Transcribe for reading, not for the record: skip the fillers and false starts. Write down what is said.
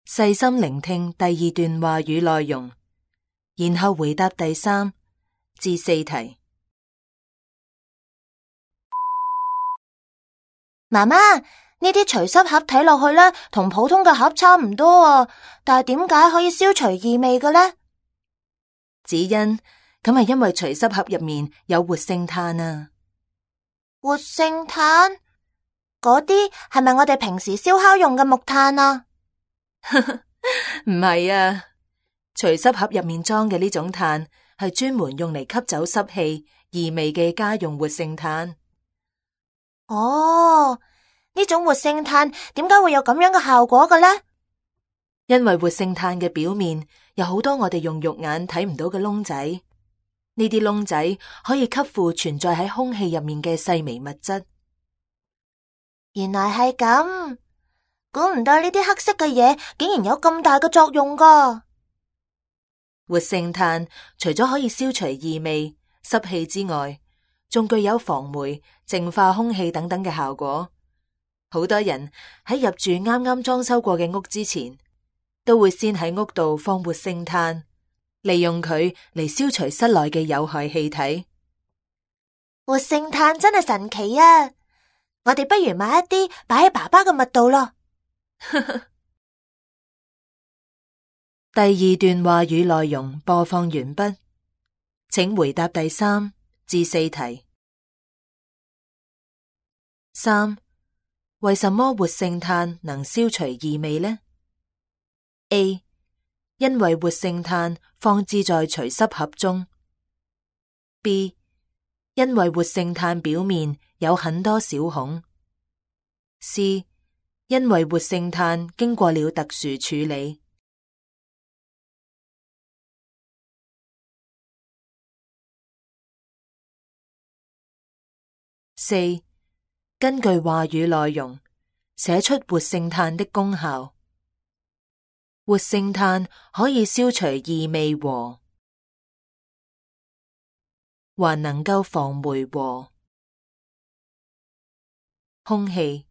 細心聆聽第二段話語內容，然後回答第3至4題。媽媽，呢啲除濕盒睇落去呢，同普通嘅盒差唔多啊，但係點解可以消除異味嘅呢？子欣，咁係因為除濕盒入面有活性炭啊。活性炭？嗰啲係咪我哋平時燒烤用嘅木炭啊？唔係啊，除濕盒入面裝嘅呢種炭係專門用嚟吸走濕氣、異味嘅家用活性炭。哦，呢種活性炭點解會有咁樣嘅效果嘅呢？因為活性炭嘅表面有好多我哋用肉眼睇唔到嘅窿仔，呢啲窿仔可以吸附存在喺空氣入面嘅細微物質。原來係咁，估唔到呢啲黑色嘅嘢竟然有咁大嘅作用㗎。活性炭除咗可以消除異味、濕氣之外，仲具有防霉、淨化空氣等等嘅效果。好多人喺入住啱啱裝修過嘅屋之前，都會先喺屋度放活性炭，利用佢嚟消除室內嘅有害氣體。活性炭真係神奇啊！我哋不如買一啲擺喺爸爸嘅襪度咯。第2段話語內容播放完畢，請回答第3至4題。3. 為什麼活性炭能消除異味呢？ A. 因為活性炭放置在除濕盒中。B. 因為活性炭表面有很多小孔。C. 因為活性炭經過了特殊處理。4. 根據話語內容，寫出活性炭的功效。活性炭可以消除異味和，還能夠防霉和空氣。